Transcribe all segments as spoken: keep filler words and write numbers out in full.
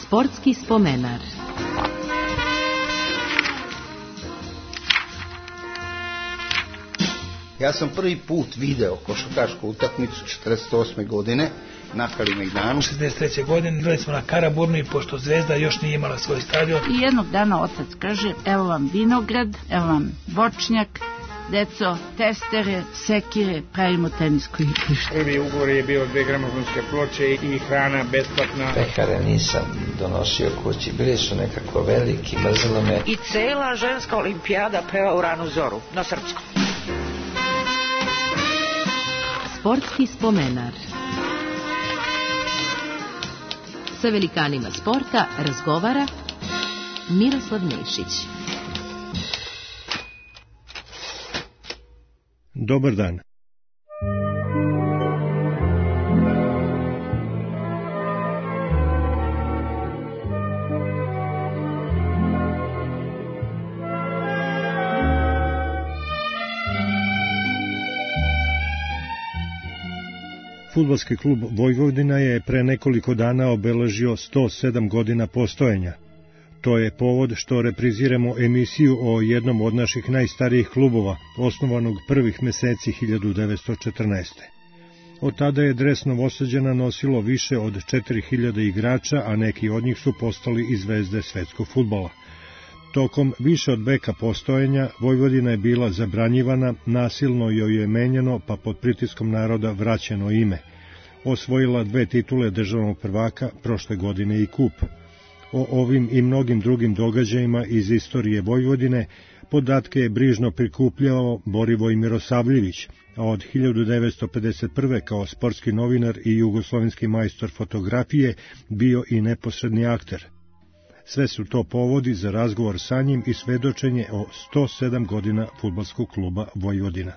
Sportski spomenar. Ja sam prvi put video košarkašku utakmicu četrdeset osme godine na Kalemegdanu. šezdeset treće godine igrali smo na Karaburmi, pošto Zvezda još nije imala svoj stadion. I jednog dana otac kaže, evo vam vinograd, evo vam voćnjak, deco, testere, sekire, pravimo tenisko igrište. Prvi ugovor je bio dve gramofonske ploče i hrana besplatna. Pekare nisam donosio kući, bili su nekako veliki, mrzelo me. I cela ženska olimpijada peva u ranu zoru, na srpskom. Sportski spomenar. Sa velikanima sporta razgovara Miroslav Nešić. Dobar dan. Fudbalski klub Vojvodina je pre nekoliko dana obeležio sto sedam godina postojanja. To je povod što repriziramo emisiju o jednom od naših najstarijih klubova, osnovanog prvih meseci hiljadu devetsto četrnaeste. Od tada je dres Novosađana nosilo više od četiri hiljade igrača, a neki od njih su postali i zvezde svetskog fudbala. Tokom više od veka postojanja Vojvodina je bila zabranjivana, nasilno joj je menjano, pa pod pritiskom naroda vraćeno ime. Osvojila dve titule državnog prvaka, prošle godine i kup. O ovim i mnogim drugim događajima iz istorije Vojvodine podatke je brižno prikupljao Borivoj Mirosavljević, a od hiljadu devetsto pedeset prve kao sportski novinar i jugoslovenski majstor fotografije bio i neposredni akter. Sve su to povodi za razgovor sa njim i svedočenje o sto sedam godina fudbalskog kluba Vojvodina.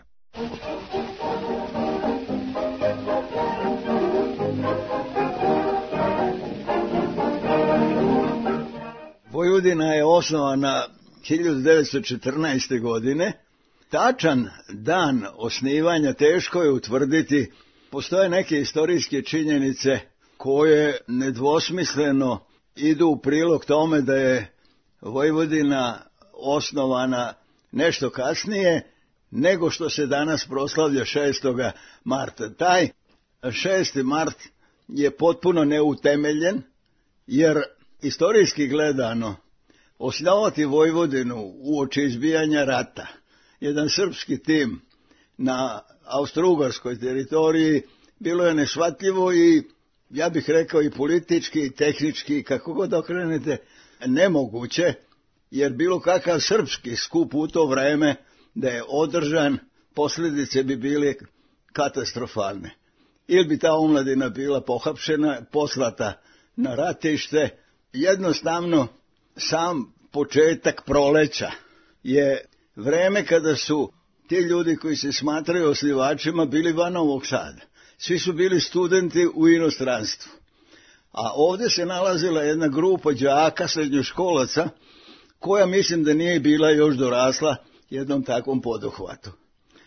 Vojvodina je osnovana hiljadu devetsto četrnaeste. godine. Tačan dan osnivanja teško je utvrditi. Postoje neke istorijske činjenice koje nedvosmisleno idu u prilog tome da je Vojvodina osnovana nešto kasnije nego što se danas proslavlja šestog marta. Taj šesti mart je potpuno neutemeljen, jer istorijski gledano osnovati Vojvodinu uoči izbijanja rata, jedan srpski tim na austrougarskoj teritoriji, bilo je neshvatljivo i ja bih rekao i politički i tehnički, kako god okrenete, nemoguće, jer bilo kakav srpski skup u to vreme da je održan, posljedice bi bile katastrofalne. Ili bi ta omladina bila pohapšena, poslata na ratište. Jednostavno, sam početak proleća je vreme kada su ti ljudi koji se smatraju osnivačima bili van Novog Sada. Svi su bili studenti u inostranstvu. A ovdje se nalazila jedna grupa đaka, srednjoškolaca, koja mislim da nije bila još dorasla jednom takvom poduhvatu.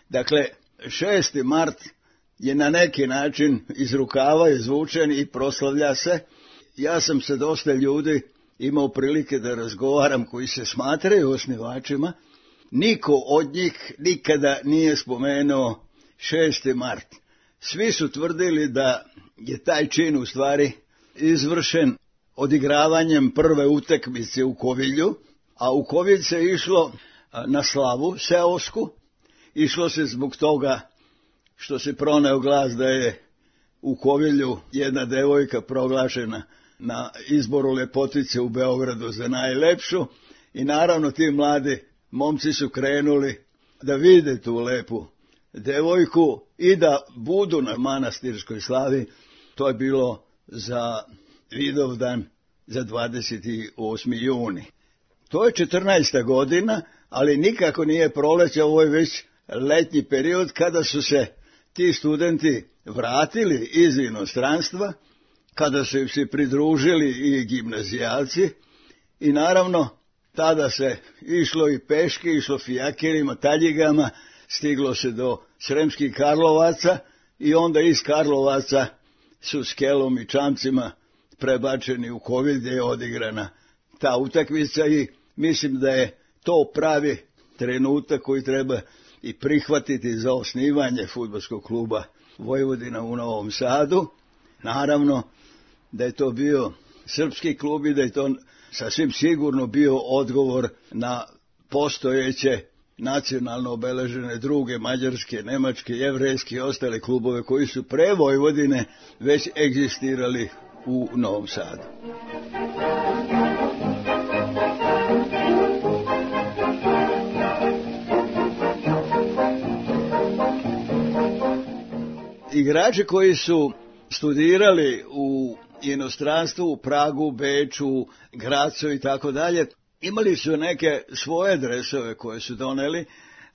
Dakle, šesti mart je na neki način iz rukava izvučen i proslavlja se. Ja sam se dosta ljudi imao prilike da razgovaram koji se smatraju osnivačima. Niko od njih nikada nije spomenuo šesti mart. Svi su tvrdili da je taj čin u stvari izvršen odigravanjem prve utakmice u Kovilju, a u Kovilj se išlo na slavu seosku. Išlo se zbog toga što se proneo glas da je u Kovilju jedna devojka proglašena na izboru lepotice u Beogradu za najlepšu i naravno ti mladi momci su krenuli da vide tu lepu devojku i da budu na manastirskoj slavi. To je bilo za Vidovdan, za dvadeset osmi juni. To je četrnaesta godina, ali nikako nije proleće, ovo je već letnji period kada su se ti studenti vratili iz inostranstva, kada su se pridružili i gimnazijalci i naravno tada se išlo i peške, išlo fijakerima, taljigama, stiglo se do Sremskih Karlovaca i onda iz Karlovaca su s kelom i čamcima prebačeni u Covid gdje je odigrana ta utakmica i mislim da je to pravi trenutak koji treba i prihvatiti za osnivanje fudbalskog kluba Vojvodina u Novom Sadu. Naravno da je to bio srpski klub i da je to sasvim sigurno bio odgovor na postojeće nacionalno obeležene druge mađarske, nemačke, jevrejske i ostale klubove koji su pre Vojvodine već egzistirali u Novom Sadu. Igrači koji su studirali u inostranstvu, u Pragu, Beču, Gracu i tako dalje, imali su neke svoje dresove koje su doneli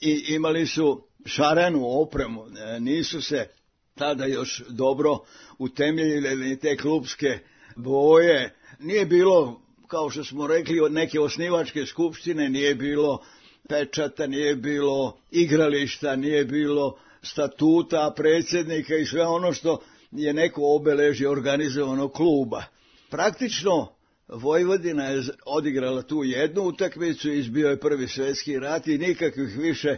i imali su šarenu opremu. Nisu se tada još dobro utemeljile ni te klubske boje. Nije bilo, kao što smo rekli, od neke osnivačke skupštine, nije bilo pečata, nije bilo igrališta, nije bilo statuta, predsjednika i sve ono što je neko obeležje organizovanog kluba. Praktično Vojvodina je odigrala tu jednu utakmicu, izbio je prvi svjetski rat i nikakvih više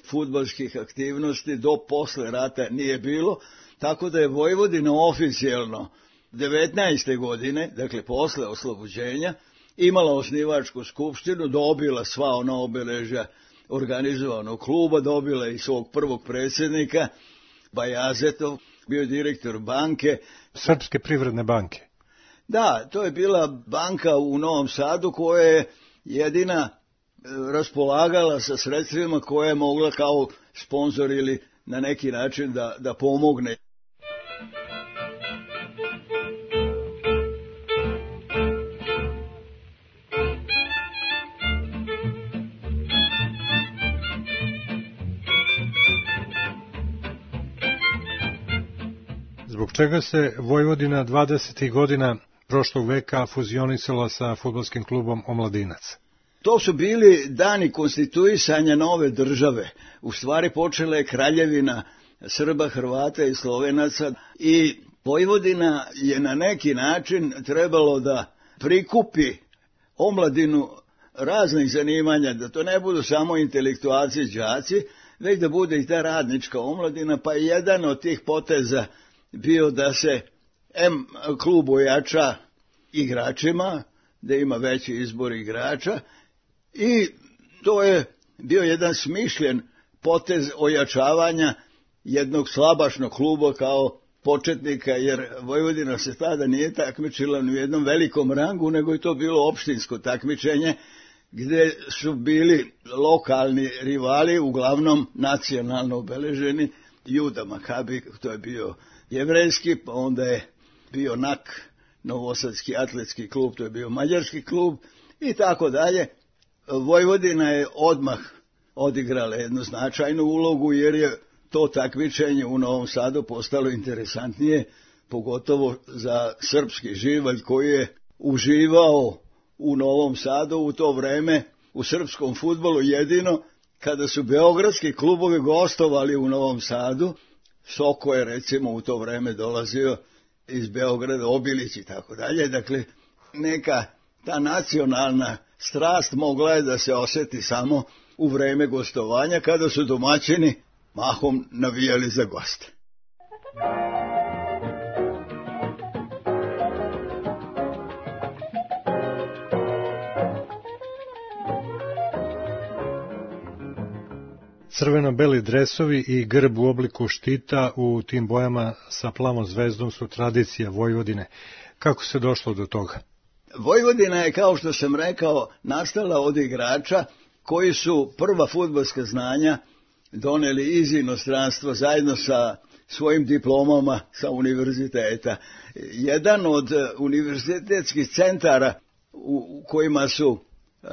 fudbalskih aktivnosti do posle rata nije bilo, tako da je Vojvodina oficijelno devetnaeste godine, dakle posle oslobođenja, imala osnivačku skupštinu, dobila sva ona obeležja organizovanog kluba, dobila i svog prvog predsjednika, Bajazetov, bio direktor banke. Srpske privredne banke. Da, to je bila banka u Novom Sadu koja je jedina raspolagala sa sredstvima koje je mogla kao sponzor ili na neki način da, da pomogne. Zbog čega se Vojvodina dvadesetih godina prošlog veka fuzionisala sa fudbalskim klubom Omladinac? To su bili dani konstituisanja nove države. U stvari počela je kraljevina Srba, Hrvata i Slovenaca i Vojvodina je na neki način trebalo da prikupi omladinu raznih zanimanja, da to ne budu samo intelektualci, đaci, već da bude i ta radnička omladina, pa je jedan od tih poteza bio da se em klub ojača igračima, da ima veći izbor igrača i to je bio jedan smišljen potez ojačavanja jednog slabašnog kluba kao početnika, jer Vojvodina se tada nije takmičila ni u jednom velikom rangu, nego je to bilo opštinsko takmičenje gdje su bili lokalni rivali, uglavnom nacionalno obeleženi. Juda Makabi, to je bio jevrejski, pa onda je bio N A K, Novosadski atletski klub, to je bio mađarski klub i tako dalje. Vojvodina je odmah odigrala jednu značajnu ulogu jer je to takmičenje u Novom Sadu postalo interesantnije, pogotovo za srpski živalj koji je uživao u Novom Sadu u to vreme u srpskom fudbalu jedino kada su beogradski klubovi gostovali u Novom Sadu. Soko je recimo u to vreme dolazio iz Beograda, Obilić i tako dalje. Dakle, neka ta nacionalna strast mogla je da se osjeti samo u vreme gostovanja kada su domaćini mahom navijali za goste. Crveno-beli dresovi i grb u obliku štita u tim bojama sa plavom zvezdom su tradicija Vojvodine. Kako se došlo do toga? Vojvodina je, kao što sam rekao, nastala od igrača koji su prva fudbalska znanja doneli iz inostranstva zajedno sa svojim diplomama sa univerziteta. Jedan od univerzitetskih centara u kojima su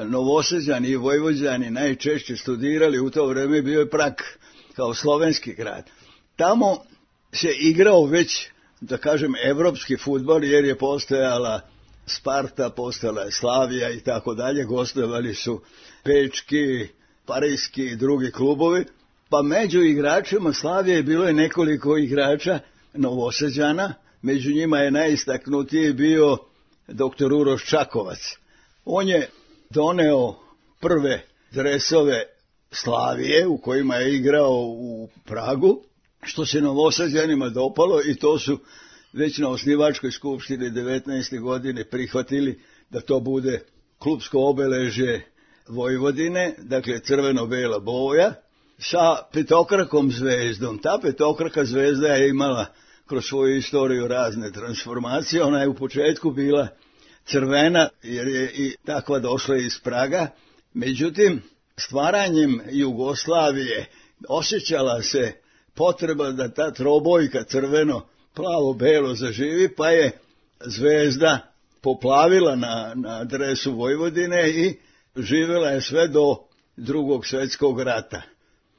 Novosađani i Vojvođani najčešće studirali u to vreme bio je Prag, kao slovenski grad. Tamo se igrao već, da kažem, evropski fudbal, jer je postojala Sparta, postojala je Slavija i tako dalje, gostovali su pečki, parijski i drugi klubovi, pa među igračima Slavije bilo je nekoliko igrača Novosađana, među njima je najistaknutiji bio doktor Uroš Čakovac. On je doneo prve dresove Slavije u kojima je igrao u Pragu, što se Novosađanima dopalo i to su već na osnivačkoj skupštini devetnaeste godine prihvatili da to bude klupsko obeležje Vojvodine, dakle crveno-bela boja, sa petokrakom zvezdom. Ta petokraka zvezda je imala kroz svoju istoriju razne transformacije. Ona je u početku bila crvena jer je i takva došla iz Praga. Međutim, stvaranjem Jugoslavije osjećala se potreba da ta trobojka crveno-plavo-belo zaživi, pa je zvezda poplavila na, na dresu Vojvodine i živjela je sve do drugog svjetskog rata.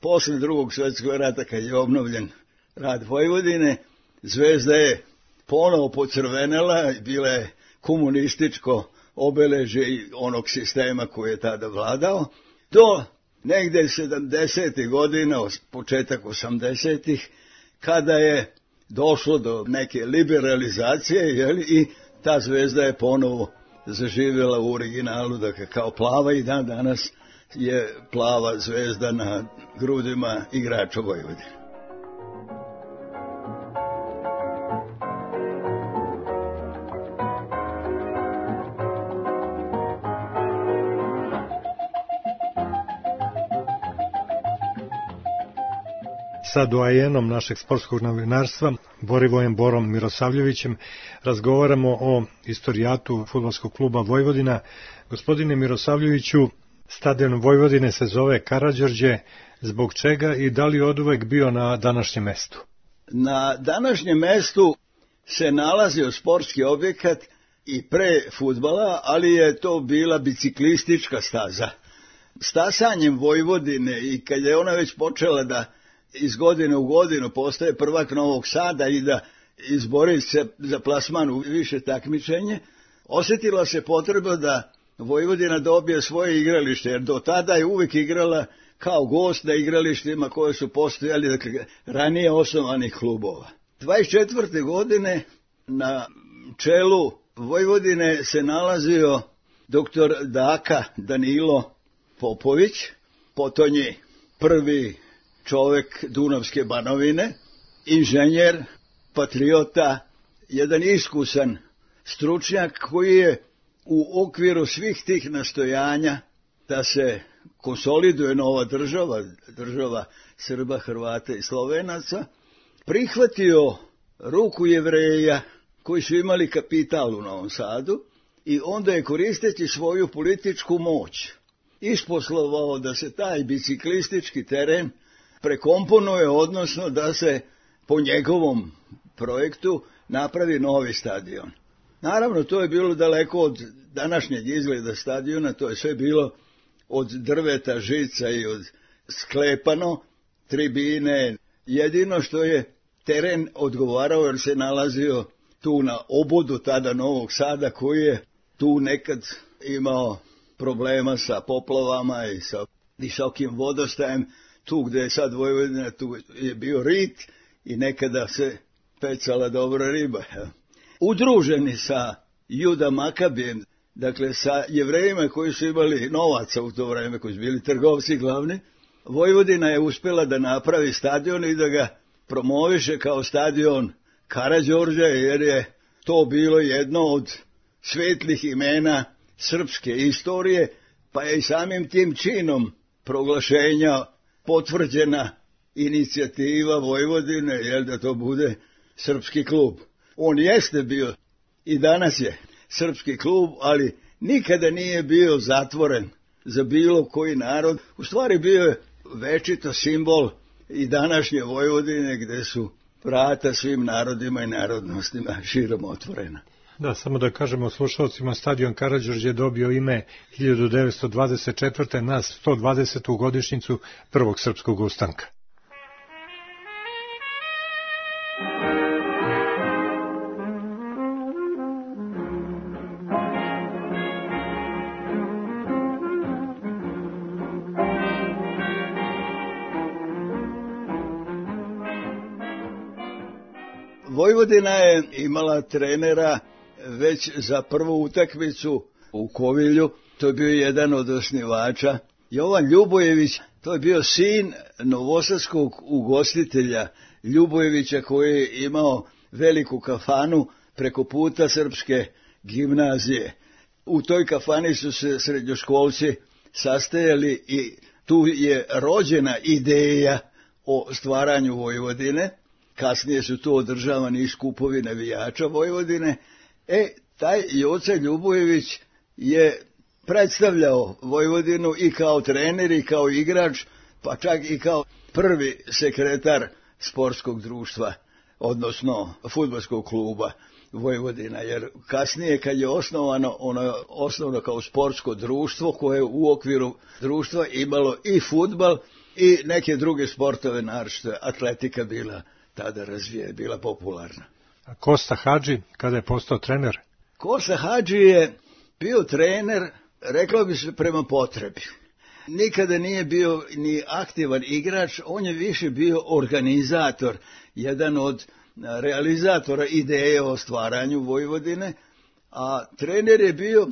Posle drugog svjetskog rata, kad je obnovljen rad Vojvodine, zvezda je ponovo pocrvenela i bila je komunističko obeležje onog sistema koji je tada vladao. Do negde sedamdesetih godina, početak osamdesetih, kada je došlo do neke liberalizacije, jeli, i ta zvezda je ponovo zaživjela u originalu, dakle kao plava, i dan danas je plava zvezda na grudima igrača Vojvodine. Sa doajenom našeg sportskog novinarstva, Borivojem Borom Mirosavljevićem, razgovaramo o istorijatu fudbalskog kluba Vojvodina. Gospodine Mirosavljeviću, stadion Vojvodine se zove Karađorđe. Zbog čega i da li oduvek bio na današnjem mestu? Na današnjem mestu se nalazio sportski objekat i pre fudbala, ali je to bila biciklistička staza. Stasanjem Vojvodine, i kad je ona već počela da iz godine u godinu postaje prvak Novog Sada i da izbori se za plasman u više takmičenje, osjetila se potreba da Vojvodina dobije svoje igralište, jer do tada je uvijek igrala kao gost na igralištima koje su postojali, dakle, ranije osnovanih klubova. dvadeset četvrte godine na čelu Vojvodine se nalazio doktor Daka Danilo Popović, potonji prvi čovek Dunavske Banovine, inženjer, patriota, jedan iskusan stručnjak koji je u okviru svih tih nastojanja da se konsoliduje nova država, država Srba, Hrvata i Slovenaca, prihvatio ruku Jevreja koji su imali kapital u Novom Sadu i onda je, koristeći svoju političku moć, isposlovao da se taj biciklistički teren prekomponuje, odnosno da se po njegovom projektu napravi novi stadion. Naravno, to je bilo daleko od današnjeg izgleda stadiona, to je sve bilo od drveta, žica i od sklepano, tribine. Jedino što je teren odgovarao, jer se nalazio tu na obodu tada Novog Sada, koji je tu nekad imao problema sa poplavama i sa visokim vodostajem. Tu gde je sad Vojvodina, tu je bio rit i nekada se pecala dobra riba. Udruženi sa Juda Makabijem, dakle sa Jevrejima koji su imali novaca u to vreme, koji su bili trgovci glavni, Vojvodina je uspjela da napravi stadion i da ga promoviše kao stadion Karađorđa, jer je to bilo jedno od svetlih imena srpske istorije, pa je i samim tim činom proglašenja potvrđena inicijativa Vojvodine, jer da to bude srpski klub. On jeste bio i danas je srpski klub, ali nikada nije bio zatvoren za bilo koji narod. U stvari bio je večito simbol i današnje Vojvodine, gde su vrata svim narodima i narodnostima širom otvorena. Da, samo da kažemo slušalcima, stadion Karađorđe je dobio ime hiljadu devetsto dvadeset četvrte na sto dvadesetu godišnjicu prvog srpskog ustanka. Vojvodina je imala trenera već za prvu utakmicu u Kovilju, to je bio jedan od osnivača. Jovan Ljubojević, to je bio sin novosadskog ugostitelja Ljubojevića koji je imao veliku kafanu preko puta Srpske gimnazije. U toj kafani su se srednjoškolci sastajali i tu je rođena ideja o stvaranju Vojvodine. Kasnije su tu održavani i skupovi navijača Vojvodine. E, taj Joca Ljubojević je predstavljao Vojvodinu i kao trener i kao igrač, pa čak i kao prvi sekretar sportskog društva, odnosno fudbalskog kluba Vojvodina, jer kasnije kad je osnovano, ono je osnovno kao sportsko društvo koje u okviru društva imalo i fudbal i neke druge sportove, naročito atletika bila tada razvije, bila popularna. A Kosta Hadži, kada je postao trener? Kosta Hadži je bio trener, reklo bi se, prema potrebi. Nikada nije bio ni aktivan igrač, on je više bio organizator, jedan od realizatora ideje o stvaranju Vojvodine, a trener je bio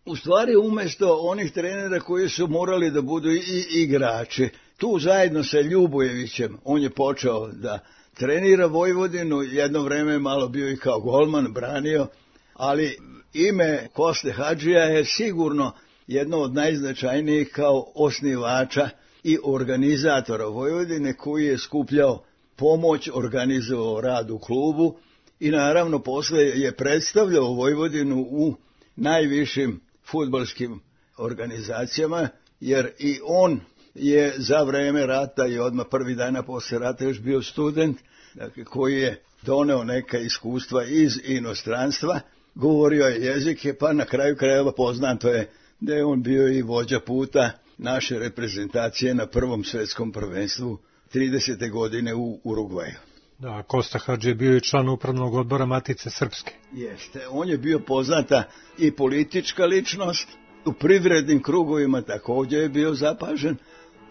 u stvari umjesto onih trenera koji su morali da budu i igrači. Tu zajedno sa Ljubojevićem on je počeo da trenira Vojvodinu, jedno vreme malo bio i kao golman, branio, ali ime Koste Hadžija je sigurno jedno od najznačajnijih kao osnivača i organizatora Vojvodine, koji je skupljao pomoć, organizovao rad u klubu i naravno posle je predstavljao Vojvodinu u najvišim fudbalskim organizacijama, jer i on je za vreme rata i odmah prvi dana posle rata još bio student, dakle, koji je doneo neka iskustva iz inostranstva, govorio je jezike, pa na kraju krajeva poznato je da je on bio i vođa puta naše reprezentacije na prvom svetskom prvenstvu tridesete godine u Urugvaju. Da, Kosta Hadži je bio i član upravnog odbora Matice Srpske. Jeste, on je bio poznata i politička ličnost, u privrednim krugovima također je bio zapažen,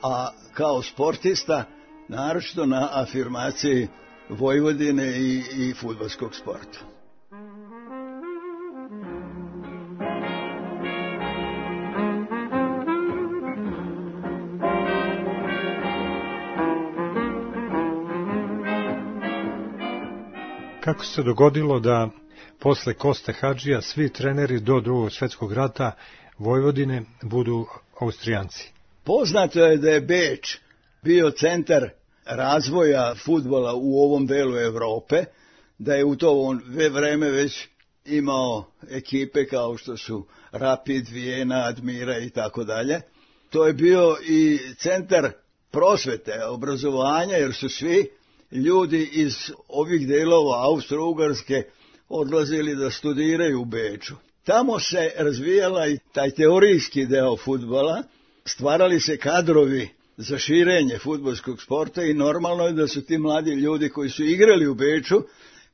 a kao sportista naročito na afirmaciji Vojvodine i, i fudbalskog sporta. Kako se dogodilo da posle Koste Hadžija svi treneri do drugog svjetskog rata Vojvodine budu Austrijanci? Poznato je da je Beč bio centar razvoja fudbala u ovom delu Evrope, da je u to vreme već imao ekipe kao što su Rapid, Vijena, Admira i tako dalje. To je bio i centar prosvete, obrazovanja, jer su svi ljudi iz ovih delova Austro-Ugarske odlazili da studiraju u Beču. Tamo se razvijala i taj teorijski deo fudbala, stvarali se kadrovi za širenje fudbalskog sporta i normalno je da su ti mladi ljudi koji su igrali u Beču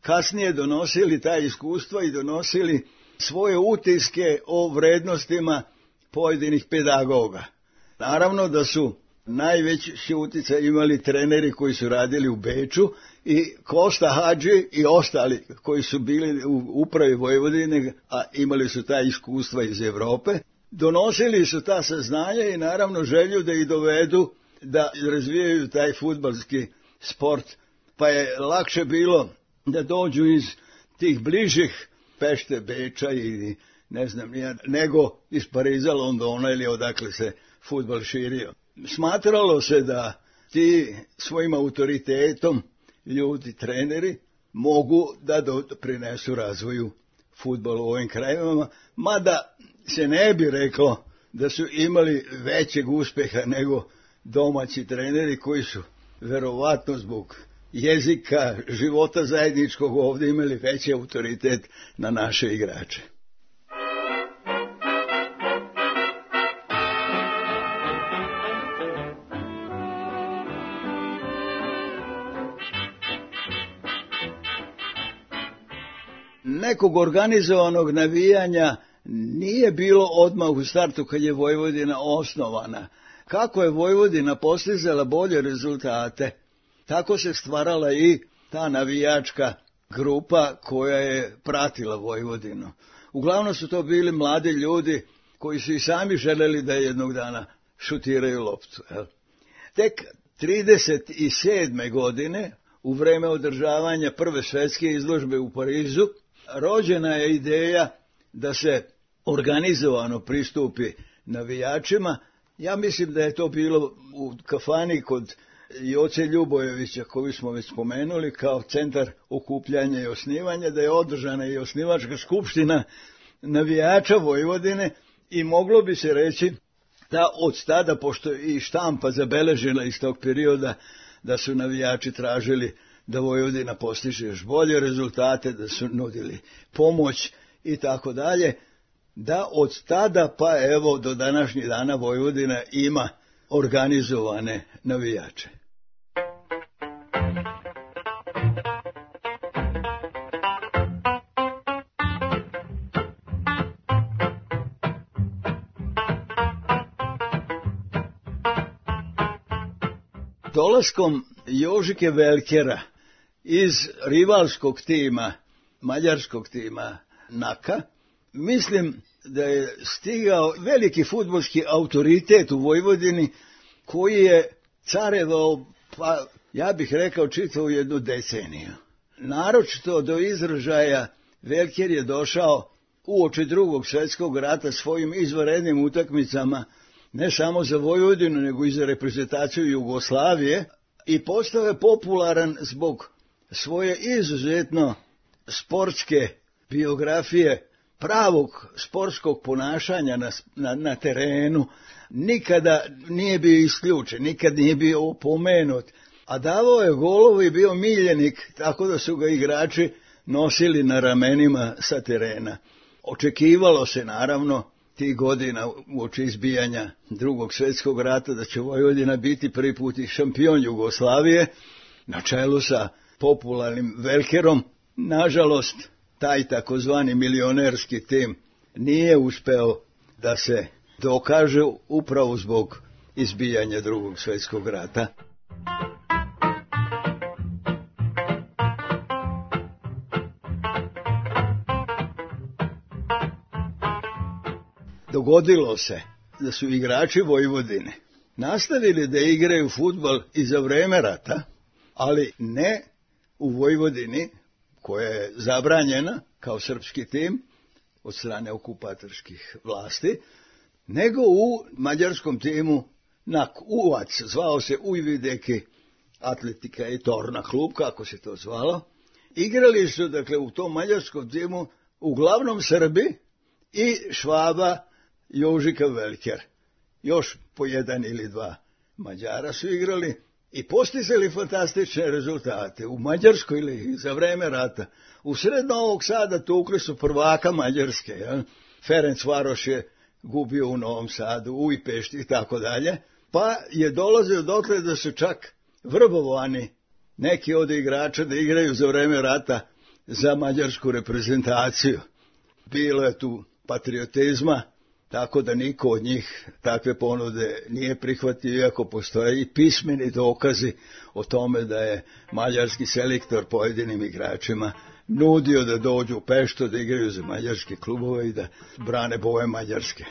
kasnije donosili ta iskustva i donosili svoje utiske o vrednostima pojedinih pedagoga. Naravno da su najveći uticaj imali treneri koji su radili u Beču i Kosta Hadži i ostali koji su bili u upravi Vojvodine, a imali su ta iskustva iz Evrope. Donosili su ta saznanja i naravno želju da ih dovedu da razvijaju taj fudbalski sport, pa je lakše bilo da dođu iz tih bližih Pešte, Beča ili ne znam nije, nego iz Pariza, Londona ili odakle se fudbal širio. Smatralo se da ti svojim autoritetom ljudi, treneri, mogu da doprinesu razvoju fudbala u ovim krajevima, mada se ne bi reklo da su imali većeg uspeha nego domaći treneri koji su verovatno zbog jezika, života zajedničkog ovdje imali veći autoritet na naše igrače. Nekog organizovanog navijanja nije bilo odmah u startu kad je Vojvodina osnovana. Kako je Vojvodina postizala bolje rezultate, tako se stvarala i ta navijačka grupa koja je pratila Vojvodinu. Uglavnom su to bili mladi ljudi koji su i sami želeli da jednog dana šutiraju loptu. Jel? Tek trideset sedme godine, u vreme održavanja prve svetske izložbe u Parizu, rođena je ideja da se organizovano pristupi navijačima. Ja mislim da je to bilo u kafani kod Joce Ljubojevića, koju smo već spomenuli, kao centar okupljanja i osnivanja, da je održana i osnivačka skupština navijača Vojvodine i moglo bi se reći da od tada, pošto i štampa zabeležila iz tog perioda da su navijači tražili da Vojvodina postiže još bolje rezultate, da su nudili pomoć i tako dalje, da od tada pa evo do današnjih dana Vojvodina ima organizovane navijače. Dolaskom Jožike Velkera iz rivalskog tima, mađarskog tima Naka, mislim da je stigao veliki fudbalski autoritet u Vojvodini koji je carevao, pa ja bih rekao, čitavu jednu deceniju. Naročito do izražaja Velker je došao uoči drugog svjetskog rata svojim izvanrednim utakmicama, ne samo za Vojvodinu, nego i za reprezentaciju Jugoslavije, i postao je popularan zbog svoje izuzetno sportske biografije, pravog sportskog ponašanja na, na, na terenu. Nikada nije bio isključen, nikad nije bio opomenut, a davao je golove i bio miljenik, tako da su ga igrači nosili na ramenima sa terena. Očekivalo se naravno tih godina uoči izbijanja drugog svjetskog rata da će Vojvodina biti prvi put i šampion Jugoslavije na čelu sa popularnim Velkerom. Nažalost, taj takozvani milionerski tim nije uspeo da se dokaže upravo zbog izbijanja drugog svjetskog rata. Dogodilo se da su igrači Vojvodine nastavili da igraju fudbal i za vreme rata, ali ne u Vojvodini, koja je zabranjena kao srpski tim od strane okupatorskih vlasti, nego u mađarskom timu Nak Uvac, zvao se Ujvideki Atletika i Torna klub, kako se to zvalo. Igrali su, dakle, u tom mađarskom timu uglavnom Srbi i Švaba Jožika Velker. Još po jedan ili dva Mađara su igrali i postizali fantastične rezultate. U Mađarskoj ligi za vreme rata, u sred Novog Sada tukli su prvaka Mađarske. Ja? Ferencvaroš je gubio u Novom Sadu, u Ujpešti i tako dalje. Pa je dolazio dotle da su čak vrbovani neki od igrača da igraju za vreme rata za mađarsku reprezentaciju. Bilo je tu patriotizma, tako da niko od njih takve ponude nije prihvatio, iako postoje i pismeni dokazi o tome da je mađarski selektor pojedinim igračima nudio da dođu u Peštu, da igraju za mađarske klubove i da brane boje Mađarske.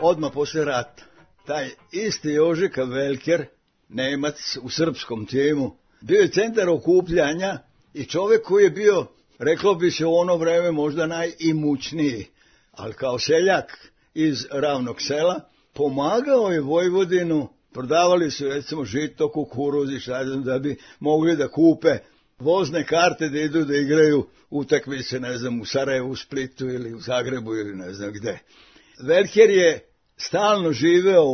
Odmah posle rata, taj isti Jožika Velker, Nemac u srpskom timu, bio je centar okupljanja i čovjek koji je bio, reklo bi se u ono vreme, možda najimućniji, ali kao seljak iz ravnog sela, pomagao je Vojvodinu, prodavali su recimo žito, kukuruz i šta znam, da bi mogli da kupe vozne karte da idu da igraju utakmice, ne znam, u Sarajevu, u Splitu ili u Zagrebu ili ne znam gde. Velker je stalno živeo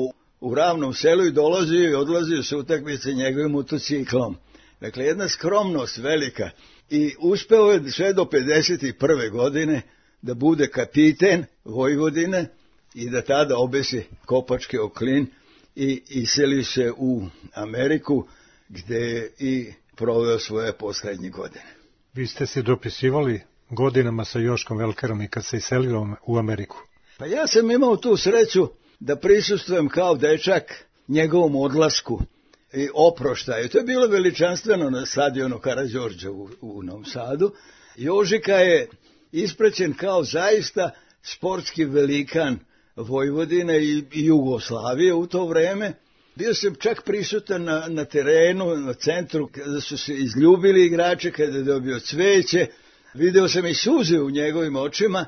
u ravnom selu i dolazio i odlazio se utakmice njegovim motociklom. Dakle, jedna skromnost velika. I uspeo je sve do pedeset prve godine da bude kapiten Vojvodine i da tada obesi kopački oklin i iseli se u Ameriku, gde je i proveo svoje poslednje godine. Vi ste se dopisivali godinama sa Joškom Velkerom i kad se iselio u Ameriku. Pa ja sam imao tu sreću da prisustvujem kao dečak njegovom odlasku i oproštaju. To je bilo veličanstveno na stadionu Karađorđa u, u Novom Sadu. Jožika je ispraćen kao zaista sportski velikan Vojvodine i, i Jugoslavije u to vreme. Bio sam čak prisutan na, na terenu, na centru, kada su se izljubili igrače, kada je dobio cveće. Video sam i suze u njegovim očima.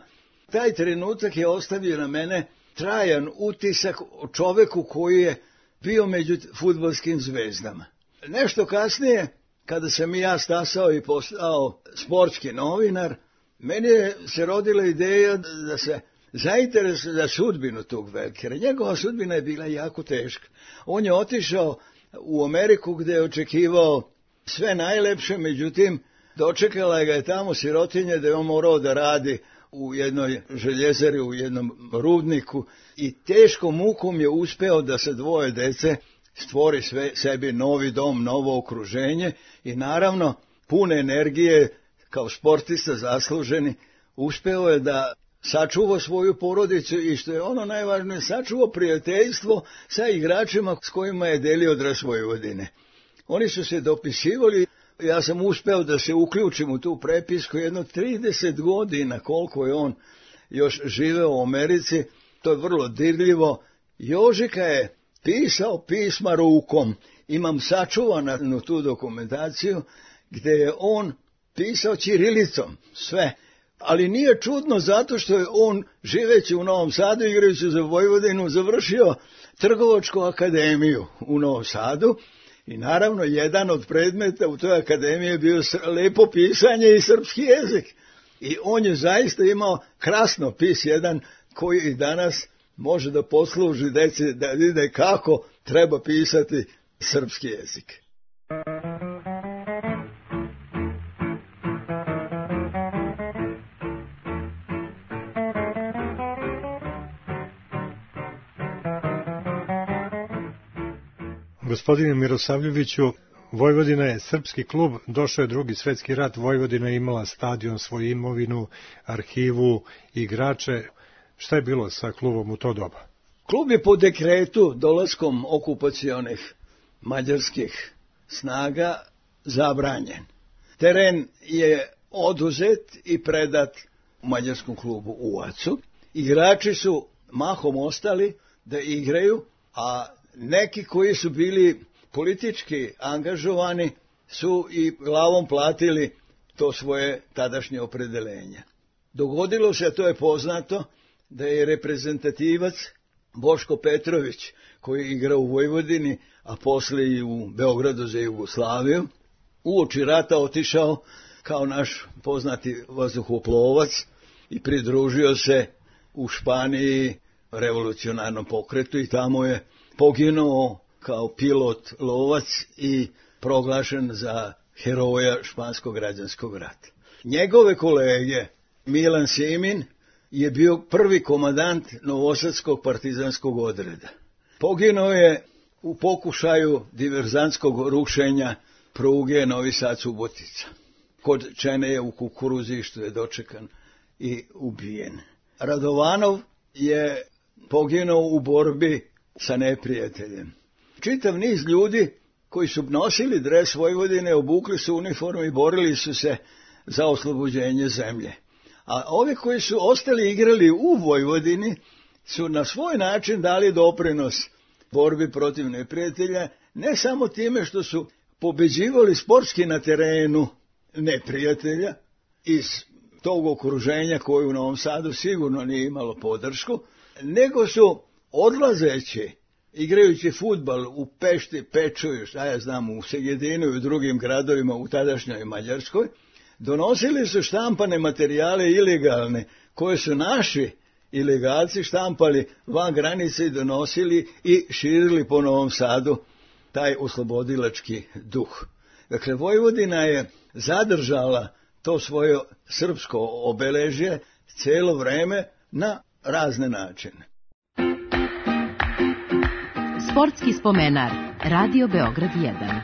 Taj trenutak je ostavio na mene trajan utisak o čoveku koji je bio među fudbalskim zvezdama. Nešto kasnije, kada sam i ja stasao i postao sportski novinar, meni je se rodila ideja da se zainteresuje za sudbinu tog Velkera. Njegova sudbina je bila jako teška. On je otišao u Ameriku gdje je očekivao sve najlepše, međutim, dočekala ga je tamo sirotinja da je on morao da radi u jednoj željezari, u jednom rudniku i teškom mukom je uspeo da se dvoje dece stvori sve, sebi novi dom, novo okruženje i naravno pune energije kao sportista zasluženi uspeo je da sačuva svoju porodicu i što je ono najvažnije, sačuva prijateljstvo sa igračima s kojima je delio dres Vojvodine. Oni su se dopisivali, ja sam uspeo da se uključim u tu prepisku jedno trideset godina koliko je on još živeo u Americi, to je vrlo dirljivo. Jožika je pisao pisma rukom, imam sačuvanu tu dokumentaciju gdje je on pisao ćirilicom, sve. Ali nije čudno zato što je on, živeći u Novom Sadu, igrajući za Vojvodinu, završio Trgovačku akademiju u Novom Sadu i naravno jedan od predmeta u toj akademiji je bio lepo pisanje i srpski jezik. I on je zaista imao krasnopis jedan koji i danas može da posluži deci da vide kako treba pisati srpski jezik. Gospodine Mirosavljeviću, Vojvodina je srpski klub, došao je Drugi svjetski rat, Vojvodina je imala stadion, svoju imovinu, arhivu, igrače. Šta je bilo sa klubom u to doba? Klub je po dekretu dolaskom okupacionih mađarskih snaga zabranjen. Teren je oduzet i predat mađarskom klubu u Acu. Igrači su mahom ostali da igraju, a neki koji su bili politički angažovani su i glavom platili to svoje tadašnje opredelenje. Dogodilo se, a to je poznato, da je reprezentativac Boško Petrović, koji je igrao u Vojvodini, a posle i u Beogradu za Jugoslaviju, uoči rata otišao kao naš poznati vazduhoplovac i pridružio se u Španiji revolucionarnom pokretu i tamo je poginuo kao pilot lovac i proglašen za heroja španskog građanskog rata. Njegove kolege Milan Simin je bio prvi komandant Novosadskog partizanskog odreda. Poginuo je u pokušaju diverzantskog rušenja pruge Novi Sad-Subotica. Kod Čene je u Kukuruzištu je dočekan i ubijen. Radovanov je poginuo u borbi sa neprijateljem. Čitav niz ljudi koji su nosili dres Vojvodine, obukli su uniformu i borili su se za oslobođenje zemlje. A ovi koji su ostali igrali u Vojvodini su na svoj način dali doprinos borbi protiv neprijatelja, ne samo time što su pobeđivali sportski na terenu neprijatelja iz tog okruženja koje u Novom Sadu sigurno nije imalo podršku, nego su odlazeći, igrajući fudbal u Pešti, Pečuju, šta ja znam, u Segedinu i u drugim gradovima u tadašnjoj Mađarskoj, donosili su štampane materijale ilegalne, koje su naši ilegalci štampali van granice i donosili i širili po Novom Sadu taj oslobodilački duh. Dakle, Vojvodina je zadržala to svoje srpsko obeležje cijelo vreme na razne načine. Sportski spomenar, Radio Beograd jedan.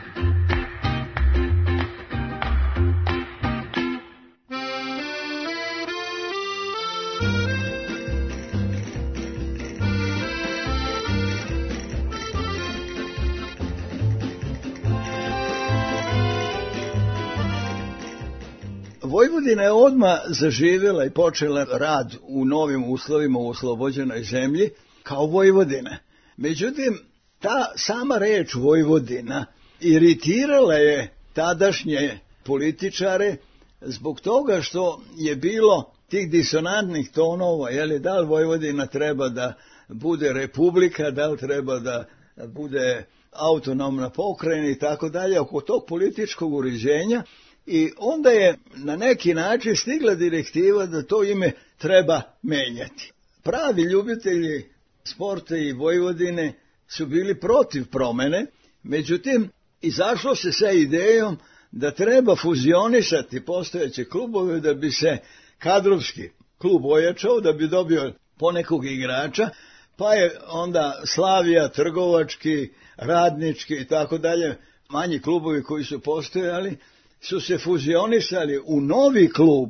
Vojvodina je odmah zaživjela i počela rad u novim uslovima u oslobođenoj zemlji kao Vojvodina. Međutim, ta sama reč Vojvodina iritirala je tadašnje političare zbog toga što je bilo tih disonantnih tonova, je li da li Vojvodina treba da bude republika, da li treba da bude autonomna pokrajina i tako dalje, oko tog političkog uređenja. I onda je na neki način stigla direktiva da to ime treba menjati. Pravi ljubitelji sporta i Vojvodine su bili protiv promene, međutim, izašlo se sa idejom da treba fuzionisati postojeće klubove da bi se kadrovski klub ojačao, da bi dobio ponekog igrača, pa je onda Slavija, Trgovački, Radnički i tako dalje, manji klubovi koji su postojali, su se fuzionisali u novi klub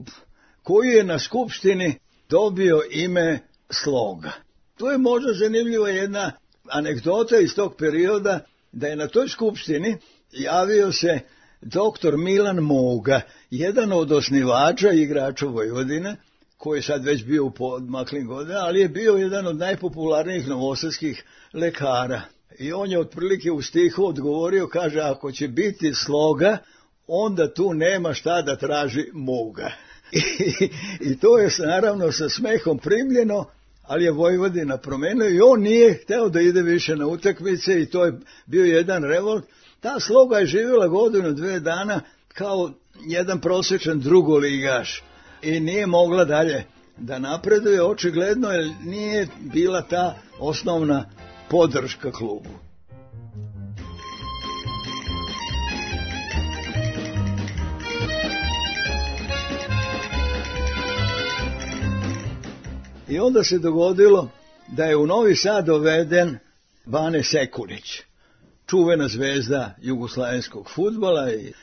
koji je na skupštini dobio ime Sloga. To je možda zanimljiva jedna anegdota iz tog perioda, da je na toj skupštini javio se doktor Milan Moga, jedan od osnivača i igrača Vojvodine, koji je sad već bio u podmaklim godinama, ali je bio jedan od najpopularnijih novosadskih lekara. I on je otprilike u stihu odgovorio, kaže, ako će biti Sloga, onda tu nema šta da traži Moga. I, i to je naravno sa smehom primljeno, ali je Vojvodina promenio i on nije hteo da ide više na utakmice i to je bio jedan revolt. Ta Sloga je živjela godinu, dve dana kao jedan prosječan drugoligaš i nije mogla dalje da napreduje, očigledno jer nije bila ta osnovna podrška klubu. I onda se dogodilo da je u Novi Sad doveden Bane Sekulić, čuvena zvezda jugoslavenskog fudbala i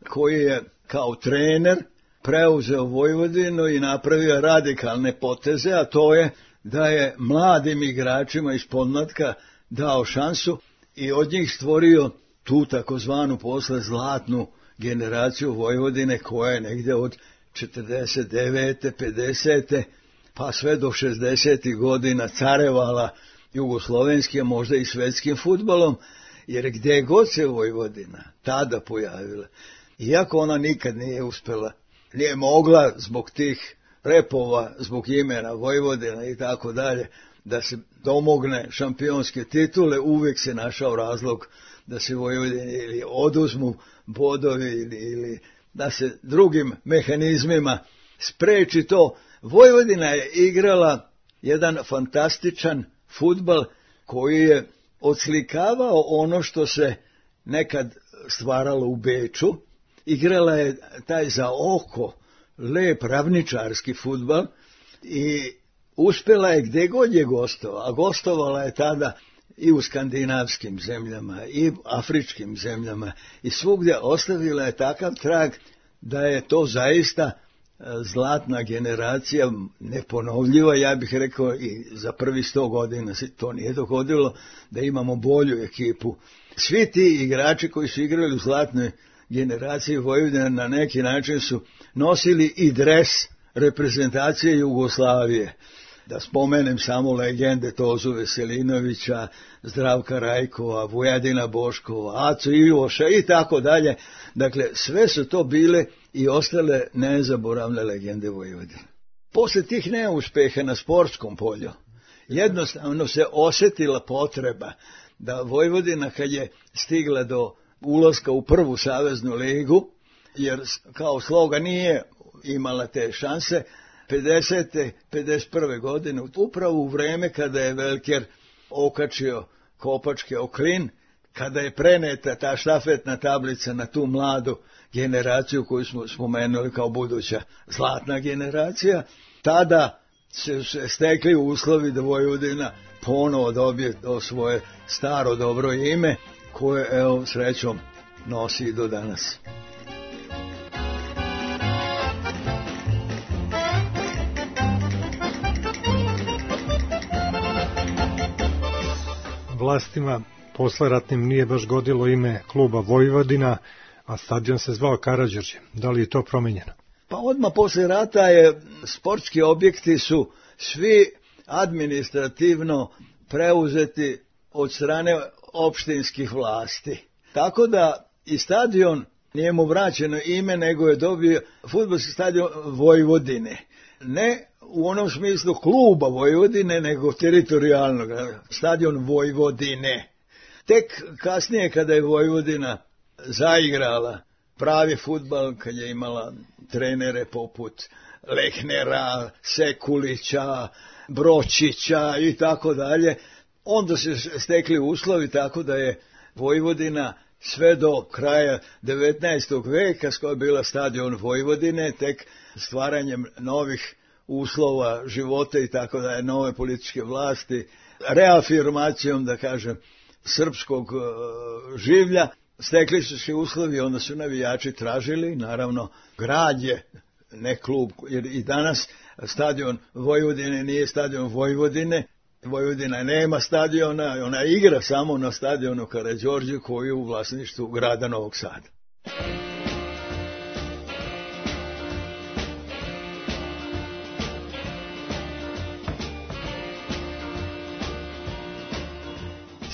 koji je kao trener preuzeo Vojvodinu i napravio radikalne poteze, a to je da je mladim igračima iz podmlatka dao šansu i od njih stvorio tu takozvanu posle zlatnu generaciju Vojvodine koja je negdje od četrdeset devete, pedesete pa sve do šezdesetih godina carevala jugoslovenskim, a možda i svetskim fudbalom, jer gdje god se Vojvodina tada pojavila, iako ona nikad nije uspjela, nije mogla zbog tih repova, zbog imena Vojvodina i tako dalje, da se domogne šampionske titule, uvijek se našao razlog da se Vojvodini ili oduzmu bodovi ili, ili da se drugim mehanizmima spreči to. Vojvodina je igrala jedan fantastičan fudbal koji je odslikavao ono što se nekad stvaralo u Beču. Igrala je taj za oko lep ravničarski fudbal i uspjela je gdje god je gostova, a gostovala je tada i u skandinavskim zemljama i afričkim zemljama i svugdje ostavila je takav trag da je to zaista zlatna generacija, neponovljiva, ja bih rekao i za prvi sto godina se to nije dogodilo da imamo bolju ekipu. Svi ti igrači koji su igrali u zlatnoj generaciji Vojvodine na neki način su nosili i dres reprezentacije Jugoslavije. Da spomenem samo legende Tozu Veselinovića, Zdravka Rajkova, Vujadina Boškova, Acu Ivoša i tako dalje. Dakle, sve su to bile i ostale nezaboravne legende Vojvodine. Posle tih neuspeha na sportskom polju, jednostavno se osjetila potreba da Vojvodina kad je stigla do ulaska u prvu saveznu ligu, jer kao Sloga nije imala te šanse, pedesete, pedeset prve godine, upravo u vreme kada je Velker okačio kopačke o klin, kada je preneta ta štafetna tablica na tu mladu generaciju koju smo spomenuli kao buduća zlatna generacija, tada se stekli uslovi da Vojvodina ponovo dobije to svoje staro dobro ime, koje, evo, srećom nosi i do danas. vlastima posleratnim nije baš godilo ime kluba Vojvodina, a stadion se zvao Karađorđe. Da li je to promenjeno? Pa odmah posle rata je sportski objekti su svi administrativno preuzeti od strane opštinskih vlasti. Tako da i stadion nije mu vraćeno ime, nego je dobio fudbalski stadion Vojvodine. Ne u onom smislu kluba Vojvodine, nego teritorijalnog, stadion Vojvodine. Tek kasnije kada je Vojvodina zaigrala pravi fudbal, kad je imala trenere poput Lehnera, Sekulića, Bročića i tako dalje, onda se stekli uslovi tako da je Vojvodina sve do kraja devetnaestog veka, koja je bila stadion Vojvodine, tek stvaranjem novih uslova života i tako da je nove političke vlasti, reafirmacijom, da kažem, srpskog uh, življa, stekli su se uslovi, onda su navijači tražili, naravno, grad je, ne klub, jer i danas stadion Vojvodine nije stadion Vojvodine, Vojvodina nema stadiona, ona igra samo na stadionu Karađorđe koji je u vlasništvu grada Novog Sada.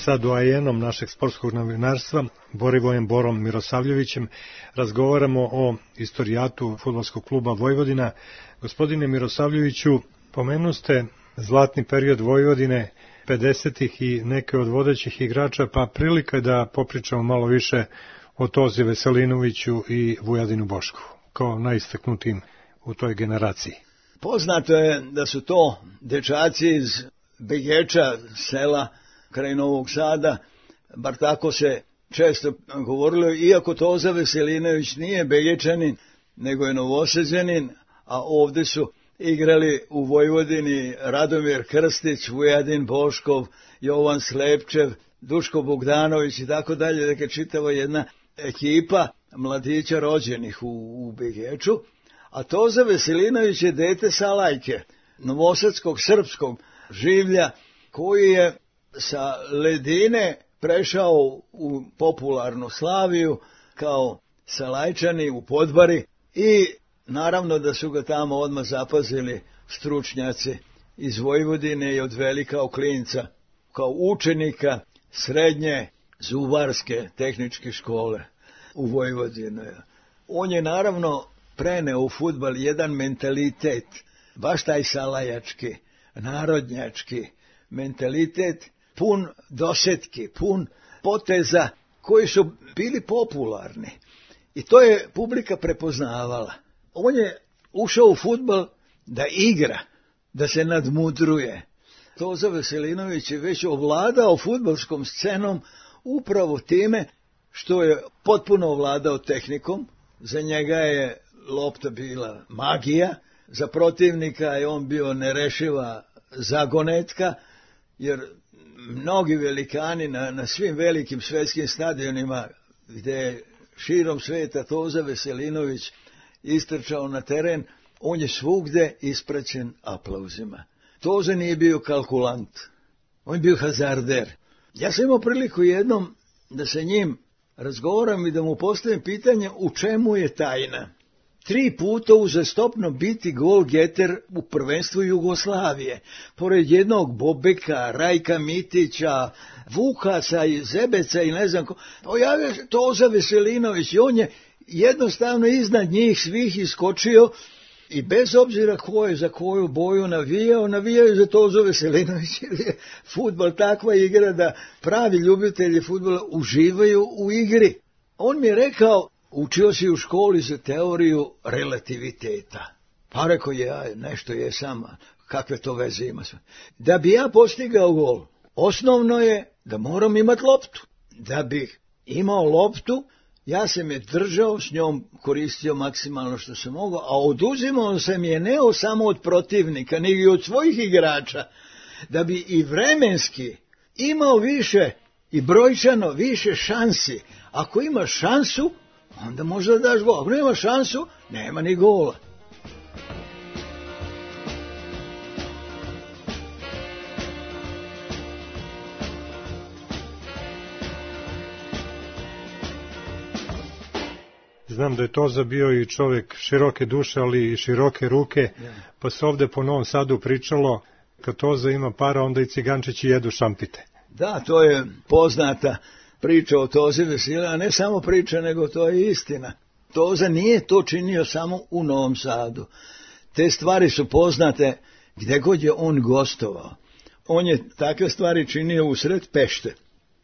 Sa doajenom našeg sportskog novinarstva, Borivojem Borom Mirosavljevićem, razgovaramo o istorijatu fudbalskog kluba Vojvodina. Gospodine Mirosavljeviću, pomenuste zlatni period Vojvodine, pedesetih i neke od vodećih igrača, pa prilika da popričamo malo više o Tozi Veselinoviću i Vujadinu Boškovu, kao najistaknutijim u toj generaciji. Poznato je da su to dečaci iz Begeča, sela kraj Novog Sada, bar tako se često govorilo, iako Toza Veselinović nije Begečanin, nego je Novosađanin, a ovde su igrali u Vojvodini Radomir Krstić, Vujadin Boškov, Jovan Slepčev, Duško Bogdanović i tako dalje, dakle čitava jedna ekipa mladića rođenih u, u Begeču, a Toza Veselinović je dete Salajke, novosadskog srpskog življa, koji je sa ledine prešao u popularnu Slaviju kao Salajčani u Podbari i naravno da su ga tamo odmah zapazili stručnjaci iz Vojvodine i odveli kao klinca, kao učenika srednje zubarske tehničke škole u Vojvodini. On je naravno preneo u fudbal jedan mentalitet, baš taj salajački, narodnjački mentalitet, pun dosetki, pun poteza koji su bili popularni. I to je publika prepoznavala. On je ušao u fudbal da igra, da se nadmudruje. Toza Veselinović je već ovladao fudbalskom scenom upravo time što je potpuno ovladao tehnikom. Za njega je lopta bila magija, za protivnika je on bio nerešiva zagonetka, jer mnogi velikani na, na svim velikim svetskim stadionima gdje je širom sveta Toza Veselinović istrčao na teren, on je svugde ispraćen aplauzima. Toza nije bio kalkulant, on je bio hazarder. Ja sam imao priliku jednom da sa njim razgovaram i da mu postavim pitanje u čemu je tajna. Tri puta uzastopno biti gol-geter u prvenstvu Jugoslavije, pored jednog Bobeka, Rajka Mitića, Vukasa i Zebeca i ne znam ko. Pojavio se Toza Veselinović i on je jednostavno iznad njih svih iskočio i bez obzira ko je za koju boju navijao, navijao za Tozu Veselinović, jer je fudbal takva igra da pravi ljubitelji fudbala uživaju u igri. On mi je rekao, učio si u školi za teoriju relativiteta. Pa rekao je, ja nešto je sama, kakve to veze ima. Da bi ja postigao gol, osnovno je da moram imati loptu. Da bih imao loptu, ja sam je držao, s njom koristio maksimalno što sam mogao, a oduzimao sam je ne samo od protivnika, nego i od svojih igrača, da bi i vremenski imao više i brojčano više šansi. Ako imaš šansu, onda možda daš gol. Ako nema šansu, nema ni gola. Znam da je Toza bio i čovjek široke duše, ali i široke ruke, pa se ovde po Novom Sadu pričalo, kad Toza ima para, onda i cigančići jedu šampite. Da, to je poznata priča o Tozi Vesila, a ne samo priča, nego to je istina. Toza nije to činio samo u Novom Sadu. Te stvari su poznate gdje god je on gostovao. On je takve stvari činio usred Pešte,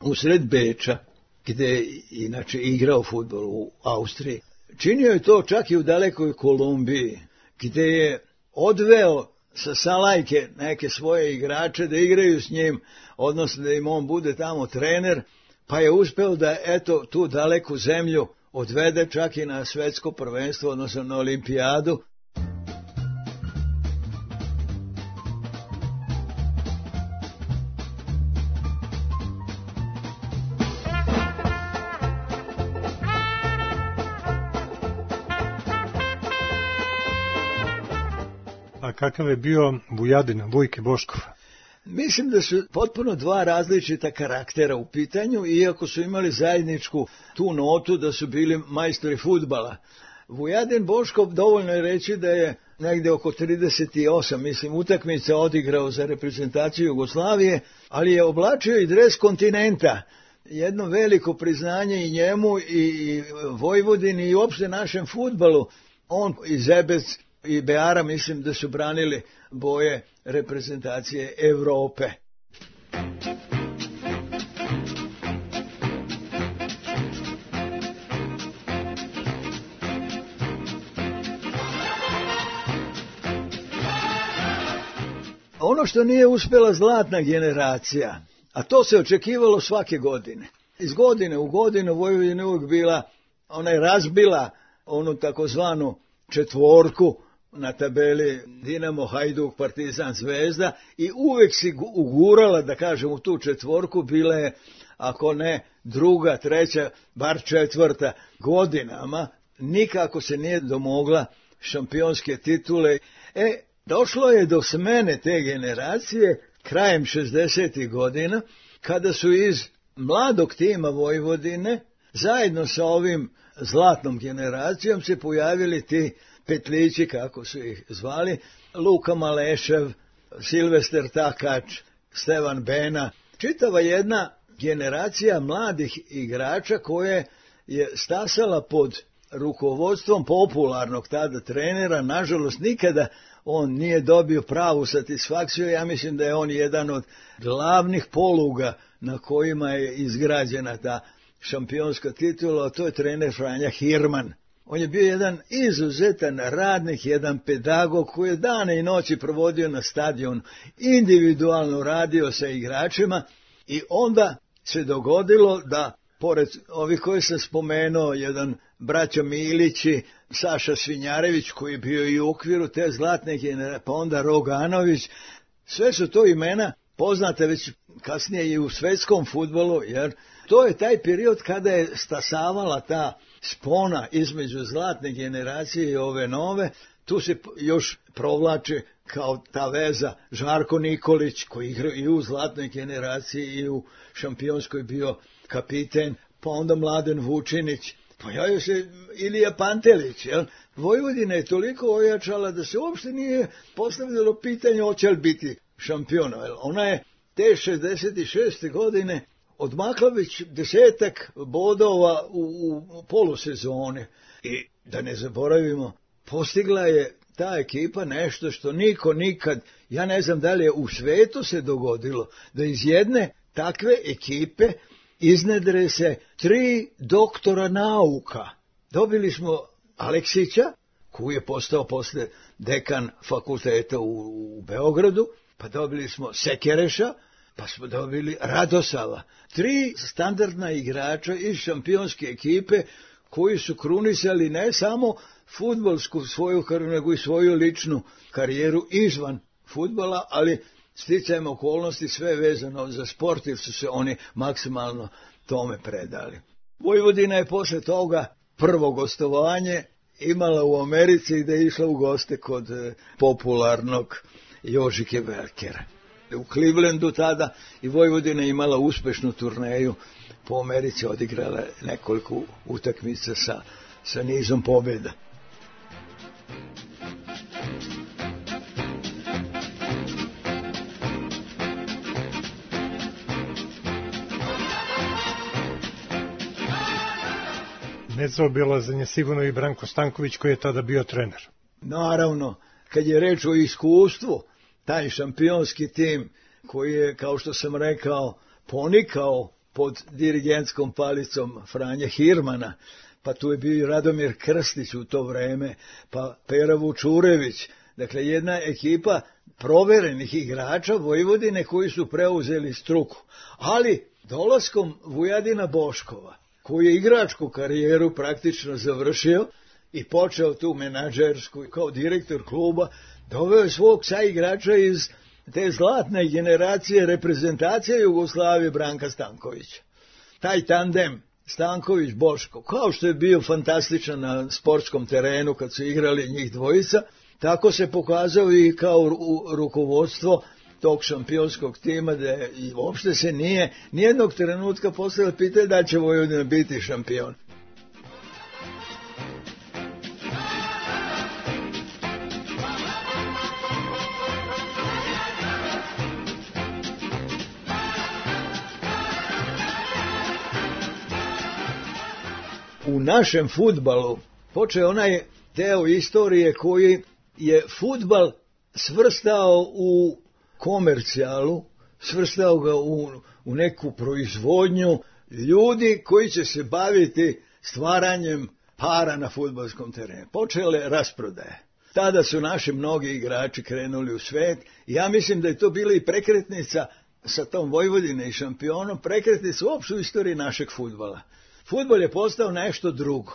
usred Beča, gdje je inače igrao fudbal u Austriji. Činio je to čak i u dalekoj Kolumbiji, gdje je odveo sa Salajke neke svoje igrače da igraju s njim, odnosno da im on bude tamo trener, pa je uspeo da eto tu daleku zemlju odvede čak i na svetsko prvenstvo, odnosno na olimpijadu. A kakav je bio Vujadin, Vujke Boškov? Mislim da su potpuno dva različita karaktera u pitanju, iako su imali zajedničku tu notu da su bili majstori fudbala. Vujadin Boškov, dovoljno je reći da je negdje oko trideset osam, mislim, utakmica odigrao za reprezentaciju Jugoslavije, ali je oblačio i dres kontinenta. Jedno veliko priznanje i njemu i Vojvodini i uopšte našem fudbalu. On i Zebec i Beara, mislim da su branili boje reprezentacije Evrope. Ono što nije uspjela zlatna generacija, a to se očekivalo svake godine. Iz godine u godinu Vojvodina uvijek bila, ona je razbila onu takozvanu četvorku na tabeli Dinamo, Hajduk, Partizan, Zvezda i uvijek si ugurala, da kažem, u tu četvorku, bila je, ako ne druga, treća, bar četvrta godinama, nikako se nije domogla šampionske titule. E, došlo je do smene te generacije krajem šezdesetih godina, kada su iz mladog tima Vojvodine, zajedno sa ovim zlatnom generacijom, se pojavili ti petlići, kako su ih zvali, Luka Malešev, Silvester Takač, Stevan Bena, čitava jedna generacija mladih igrača koje je stasala pod rukovodstvom popularnog tada trenera. Nažalost, nikada on nije dobio pravu satisfakciju. Ja mislim da je on jedan od glavnih poluga na kojima je izgrađena ta šampionska titula, a to je trener Franja Hirman. On je bio jedan izuzetan radnik, jedan pedagog koji je dane i noći provodio na stadionu, individualno radio sa igračima i onda se dogodilo da, pored ovih koji sam spomenuo, jedan braća Milići, Saša Svinjarević koji je bio i u okviru te zlatne generacije, pa onda Roganović, sve su to imena poznate već kasnije i u svetskom fudbalu, jer to je taj period kada je stasavala ta spona između zlatne generacije i ove nove. Tu se još provlači kao ta veza Žarko Nikolić, koji igra i u zlatnoj generaciji i u šampionskoj bio kapiten, pa onda Mladen Vučinić, pojavio se Ilija Pantelić. Jel? Vojvodina je toliko ojačala da se uopšte nije postavljalo pitanje hoće li biti šampiona. Jel? Ona je te šezdeset šeste godine odmakla već desetak bodova u, u polusezone. I da ne zaboravimo, postigla je ta ekipa nešto što niko nikad, ja ne znam da li je u svetu se dogodilo, da iz jedne takve ekipe iznedre se tri doktora nauka. Dobili smo Aleksića, koji je postao posle dekan fakulteta u, u Beogradu, pa dobili smo Sekereša, pa smo dobili Radosava. Tri standardna igrača iz šampionske ekipe koji su krunisali ne samo fudbalsku svoju karijeru, nego i svoju ličnu karijeru izvan fudbala, ali sticajem okolnosti sve vezano za sport, jer su se oni maksimalno tome predali. Vojvodina je posle toga prvo gostovanje imala u Americi, gde je išla u goste kod popularnog Jožike Velkera. U Clevelandu tada i Vojvodina imala uspešnu turneju po Americi, odigrala nekoliko utakmica sa sa nizom pobjeda. Nezaobilazan je sigurno i Branko Stanković koji je tada bio trener. Naravno, kad je reč o iskustvu, taj šampionski tim koji je, kao što sam rekao, ponikao pod dirigentskom palicom Franje Hirmana, pa tu je bio i Radomir Krstić u to vreme, pa Pera Vučurević, dakle jedna ekipa proverenih igrača Vojvodine koji su preuzeli struku. Ali dolaskom Vujadina Boškova, koji je igračku karijeru praktično završio i počeo tu menadžersku kao direktor kluba, doveo je svog saigrača iz te zlatne generacije reprezentacije Jugoslavije Branka Stankovića. Taj tandem Stanković-Boško, kao što je bio fantastičan na sportskom terenu kad su igrali njih dvojica, tako se pokazao i kao rukovodstvo tog šampionskog tima, da i uopšte se nije nijednog trenutka postavilo pitanje da će Vojvodina biti šampion. U našem fudbalu počeo onaj deo istorije koji je fudbal svrstao u komercijalu, svrstao ga u, u neku proizvodnju ljudi koji će se baviti stvaranjem para na fudbalskom terenu. Počele rasprodaje. Tada su naši mnogi igrači krenuli u svet i ja mislim da je to bila i prekretnica sa tom Vojvodine i šampionom, prekretnica uopšte u istoriji našeg fudbala. Fudbal je postao nešto drugo.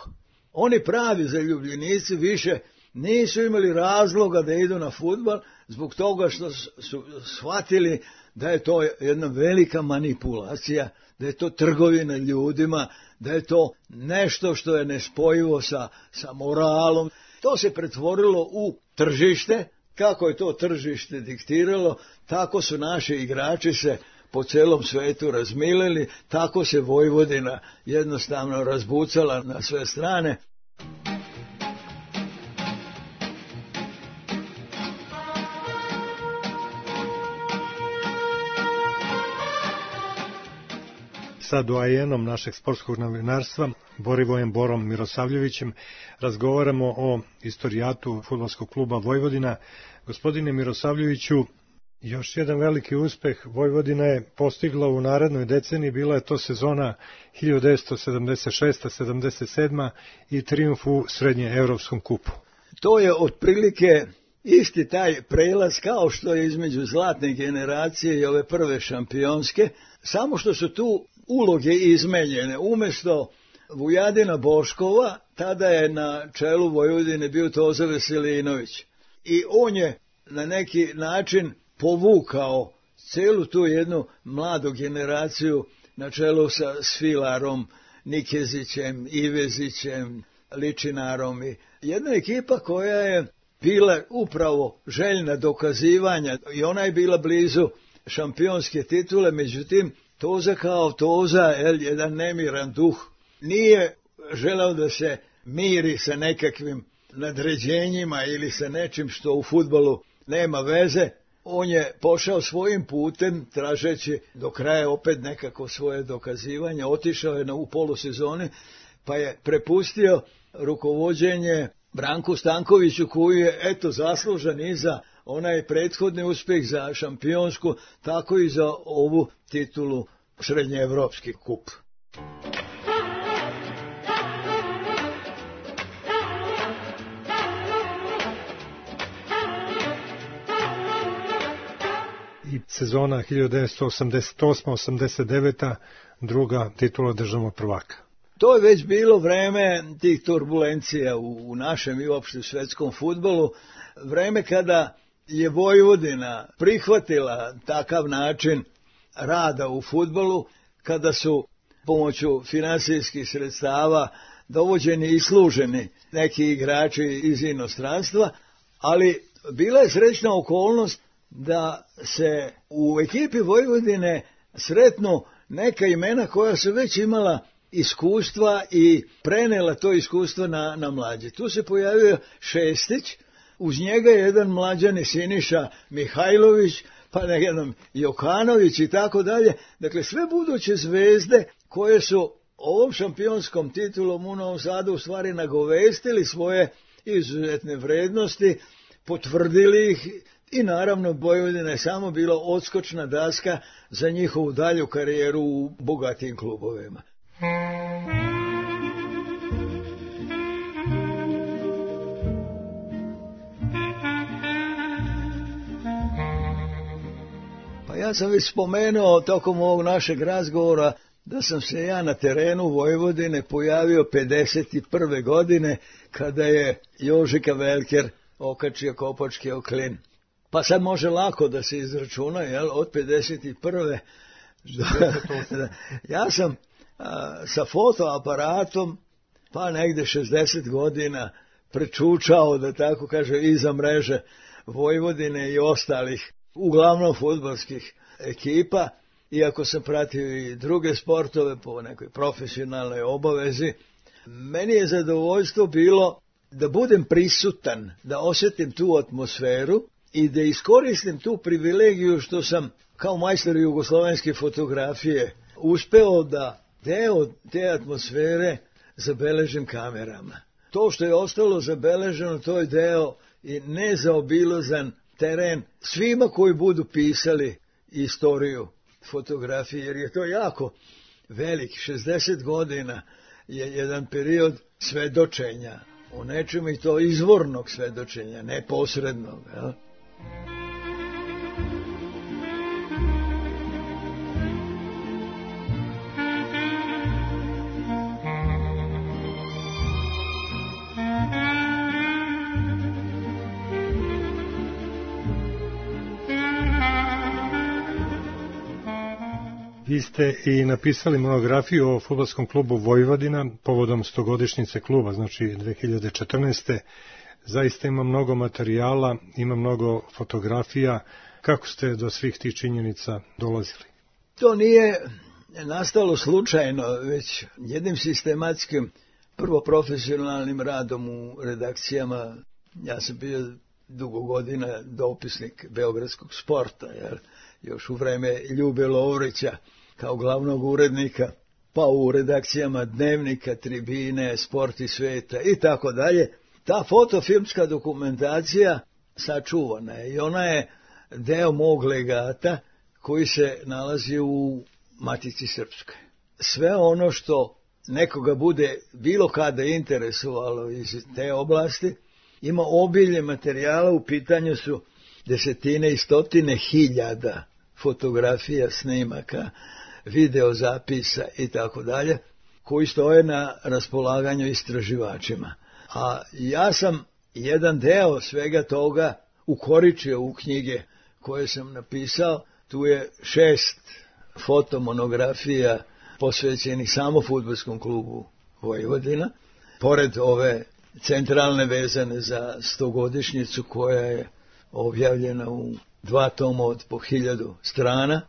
Oni pravi zaljubljenici više nisu imali razloga da idu na fudbal zbog toga što su shvatili da je to jedna velika manipulacija, da je to trgovina ljudima, da je to nešto što je nespojivo sa, sa moralom. To se pretvorilo u tržište. Kako je to tržište diktiralo, tako su naši igrači se po celom svetu razmilili, tako se Vojvodina jednostavno razbucala na sve strane. Sa doajenom našeg sportskog novinarstva, Borivojem Borom Mirosavljevićem, razgovaramo o istorijatu fudbalskog kluba Vojvodina. Gospodine Mirosavljeviću, još jedan veliki uspeh Vojvodina je postigla u narednoj deceniji, bila je to sezona hiljadu devetsto sedamdeset šeste sedamdeset sedme i trijumf u srednjeevropskom kupu. To je otprilike isti taj prelaz kao što je između zlatne generacije i ove prve šampionske, samo što su tu uloge izmenjene. Umjesto Vujadina Boškova, tada je na čelu Vojvodine bio Toza Veselinović. I on je na neki način povukao celu tu jednu mladu generaciju na čelu sa Svilarom, Nikezićem, Ivezićem, Ličinarom. I jedna ekipa koja je bila upravo željna dokazivanja i ona je bila blizu šampionske titule, međutim Toza kao Toza, jedan nemiran duh, nije želeo da se miri sa nekakvim nadređenjima ili sa nečim što u fudbalu nema veze. On je pošao svojim putem, tražeći do kraja opet nekako svoje dokazivanje, otišao je na, u polusezoni, pa je prepustio rukovođenje Branku Stankoviću, koji je eto zaslužan i za onaj prethodni uspjeh za šampionsku, tako i za ovu titulu srednjeevropski kup. I sezona hiljadu devetsto osamdeset osme osamdeset devete druga titula državnog prvaka. To je već bilo vreme tih turbulencija u, u našem i uopšte svetskom fudbalu, vreme kada je Vojvodina prihvatila takav način rada u fudbalu, kada su pomoću finansijskih sredstava dovođeni i služeni neki igrači iz inostranstva, ali bila je srećna okolnost da se u ekipi Vojvodine sretnu neka imena koja su već imala iskustva i prenela to iskustvo na, na mlađe. Tu se pojavio Šestić, uz njega je jedan mlađani Siniša Mihajlović, pa ne jedan Jokanović i tako dalje. Dakle, sve buduće zvezde koje su ovom šampionskom titulom u Novom Sadu u stvari nagovestili svoje izuzetne vrednosti, potvrdili ih i naravno Vojvodina je samo bila odskočna daska za njihovu dalju karijeru u bogatijim klubovima. Pa ja sam već spomenuo tokom ovog našeg razgovora da sam se ja na terenu Vojvodine pojavio pedeset prve godine kada je Jožika Velker okačio kopački oklin. Pa sad može lako da se izračuna, jel, od pedeset prve ja sam a, sa fotoaparatom pa negde šezdeset godina prečučao, da tako kaže, iza mreže Vojvodine i ostalih, uglavnom fudbalskih ekipa, iako sam pratio i druge sportove po nekoj profesionalnoj obavezi. Meni je zadovoljstvo bilo da budem prisutan, da osjetim tu atmosferu i da iskoristim tu privilegiju što sam kao majstor jugoslovenske fotografije uspeo da deo te atmosfere zabeležim kamerama. To što je ostalo zabeleženo, to je deo i nezaobilazan teren svima koji budu pisali istoriju fotografije, jer je to jako velik, šezdeset godina je jedan period svedočenja o nečemu i to izvornog svedočenja, neposrednog. Jel? Vi ste i napisali monografiju o fudbalskom klubu Vojvodina povodom stogodišnjice kluba, znači dve hiljade četrnaeste. Zaista ima mnogo materijala, ima mnogo fotografija. Kako ste do svih tih činjenica dolazili? To nije nastalo slučajno, već jednim sistematskim, prvo profesionalnim radom u redakcijama. Ja sam bio dugo godina dopisnik Beogradskog sporta, jer još u vreme Ljube Lovrića kao glavnog urednika, pa u redakcijama Dnevnika, Tribine, Sport i sveta i tako dalje. Ta fotofilmska dokumentacija sačuvana je i ona je deo mog legata koji se nalazi u Matici Srpskoj. Sve ono što nekoga bude bilo kada interesovalo iz te oblasti, ima obilje materijala, u pitanju su desetine i stotine hiljada fotografija, snimaka, videozapisa i tako dalje, koji stoje na raspolaganju istraživačima. A ja sam jedan deo svega toga ukoričio u knjige koje sam napisao. Tu je šest fotomonografija posvećenih samo fudbalskom klubu Vojvodina, pored ove centralne vezane za stogodišnjicu koja je objavljena u dva toma od po hiljadu strana.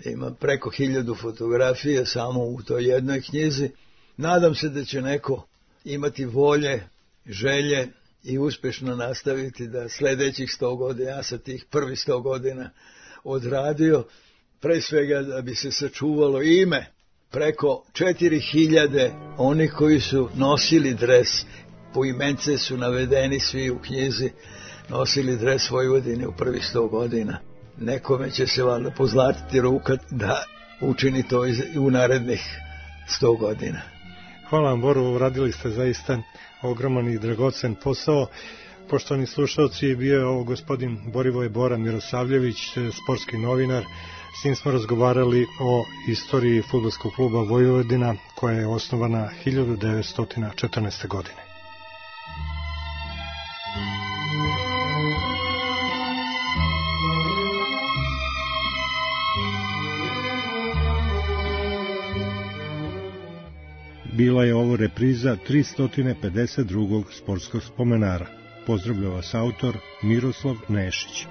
Ima preko hiljadu fotografija samo u toj jednoj knjizi. Nadam se da će neko imati volje, želje i uspješno nastaviti da sljedećih sto godina, ja sa tih prvih sto godina odradio, pre svega da bi se sačuvalo ime preko četiri hiljade onih koji su nosili dres, po imence su navedeni svi u knjizi, nosili dres Vojvodine u prvih sto godina. Nekome će se valjda pozlatiti ruka da učini to i u narednih sto godina. Hvala vam, Boru, uradili ste zaista ogroman i dragocen posao. Poštovani slušalci, bio je ovo gospodin Borivoje Bora Mirosavljević, sportski novinar. S njim smo razgovarali o istoriji fudbalskog kluba Vojvodina, koja je osnovana hiljadu devetsto četrnaeste. godine. Bila je ovo repriza tristo pedeset drugog sportskog spomenara. Pozdravlja vas autor Miroslav Nešić.